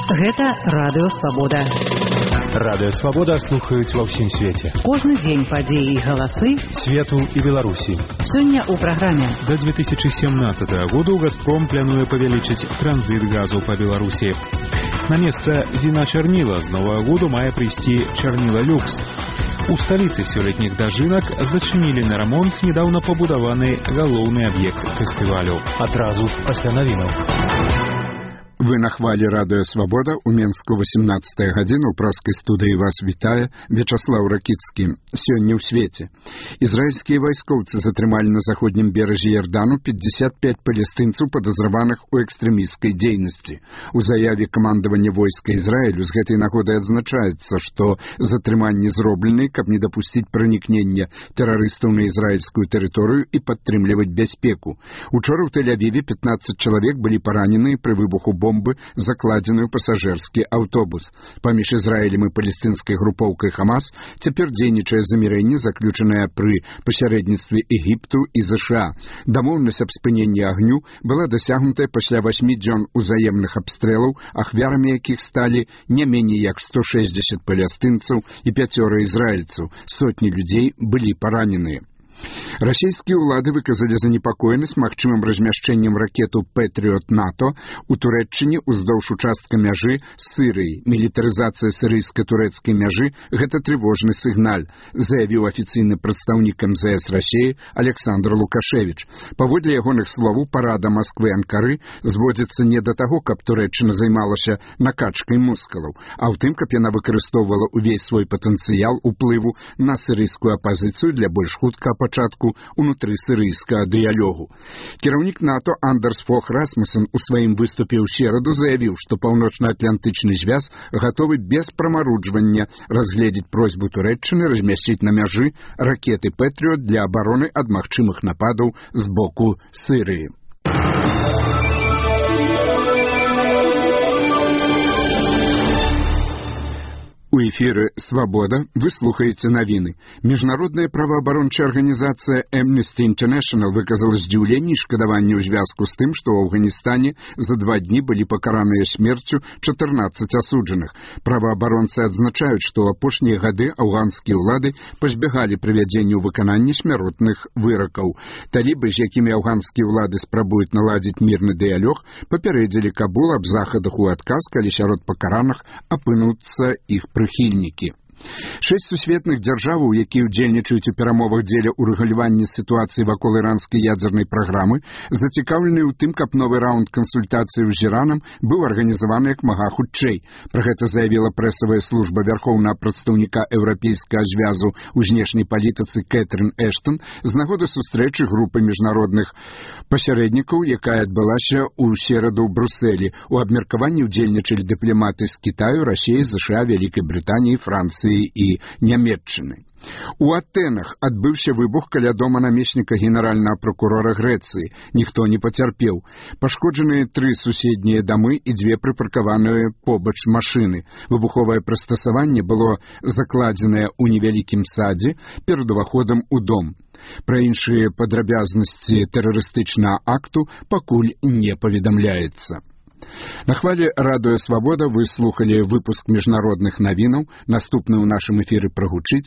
Гэта Радыё Свабода. Радыё Свабода слухаюць ва ўсім свеце. Кожны дзень падзеі і галасы свету і Беларусі. Сёння ў праграме. До 2017 году «Газпром» плануе павялічыць транзит газу па Беларусі. На месца віна чарніла з новага году мае прыйсці чарніла люкс. У сталіцы сёлетніх дажынак зачынілі на рамонт недаўна пабудаваны галоўны аб'ект фестывалю. Адразу пасля навінаў. Вы на хвалі Радыё Свабода. У Менску 18 гадзіна. У праскай студыі вас вітае Вячаслаў Ракіцкі. Сёння ў свеце. Ізраільскія вайскоўцы затрымалі на заходнім беразе Ярдану 55 палестынцаў, падазраваных у экстрэмісцкай дзейнасці. У заяве камандавання войска Ізраілю з гэтай нагоды адзначаецца, што затрыманні зроблены, каб не дапусціць пранікнення тэрарыстаў на ізраільскую тэрыторыю і падтрымліваць бяспеку. Учора ў Тель-Авіве 15 чалавек былі паранены пры выбуху бомбы, закладзеную пасажырскі аўтобус. Паміж Ізраілем і палестынскай групоўкай Хамас цяпер дзейнічае замірэнне, заключанае пры пасярэдніцтве Егіпту і ЗША. Дамоўнасць аб спыненні агню была дасягнутая пасля 8 дзён узаемных абстрэлаў, ахвярамі якіх сталі не меней як 160 палестынцаў і 5 ізраільцаў. Сотні людзей былі параненыя. Расійскія ўлады выказалі занепакоенасць магчымым размяшчэннем ракету «Пэтрыот» НАТО ў Турэччыне ўздоўж участка мяжы з Сірыяй. Мілітарызацыя сірыйска-турэцкай мяжы – гэта трывожны сігналь, заявіў афіцыйны прадстаўнік МЗС Расіі Александр Лукашевіч. Паводле ягоных словаў, парада Масквы і Анкары зводзіцца не да таго, каб Турэччына займалася накачкай мускулаў, а ў тым, каб яна выкарыстоўвала ўвесь свой патэнцыял уплыву на сірыйскую апазіцыю для больш хуткага пачатку унутры сірыйскага дыялогу. Кіраўнік НАТО Андерс Фох Расмуссен у сваім выступе ў сераду заявіў, што паўночна-атлантычны звяз гатовы без прамаруджвання разгледзець просьбу Турэччыны размясціць на мяжы ракеты «Пэтрыот» для абароны ад магчымых нападаў з боку Сірыі. У эфіры «Свабода» вы слухаеце навіны. Міжнародная праваабарончая арганізацыя Amnesty International выказала здзіўленне і шкадаванне ў звязку з тым, што ў Афганістане за 2 дні былі пакараныя смерцю 14 асуджаных. Праваабаронцы адзначаюць, што ў апошнія гады афганскія ўлады пазбягалі прывядзення ў выкананне смяротных выракаў. Талібы, з якімі афганскія ўлады спрабуюць наладзіць мірны дыялог, папярэдзілі Кабул аб захадах у адказ, калі сярод пакараных апынуцца іх прыхільнікі. 6 сусветных дзяржаваў, якія ўдзельнічаюць у перамовах дзеля ўрэгулявання сітуацыі вакол іранскай ядзернай праграмы, зацікаўлены ў тым, каб новы раунд кансультацыяў з Іранам быў арганізаваны як мага хутчэй. Пра гэта заявіла прэсавая служба вярхоўнага прадстаўніка еўрапейскага звязу ў знешняй палітыцы Кэтрын Эштон з нагоды сустрэчы групы міжнародных пасярэднікаў, якая адбылася ў сераду ў Брусэлі. У абмеркаванні ўдзельнічалі дыпламаты з Кітаю, Расіі, ЗША, Вялікай Брытаніі, Францыі і Нямецчыны. У Атэнах адбыўся выбух каля дома намесніка генеральнага прокурора Грэцыі. Ніхто не пацярпеў. Пашкоджаныя 3 суседнія дамы і 2 прыпаркаваныя побач машыны. Выбуховае прыстасаванне было закладзенае ў невялікім садзе перад уваходам у дом. Пра іншыя падрабязнасці тэрарыстычнага акту пакуль не паведамляецца. На хвале Радыё Свабода вы слухалі выпуск міжнародных навінаў. Наступны ў нашым эфіры прагучыць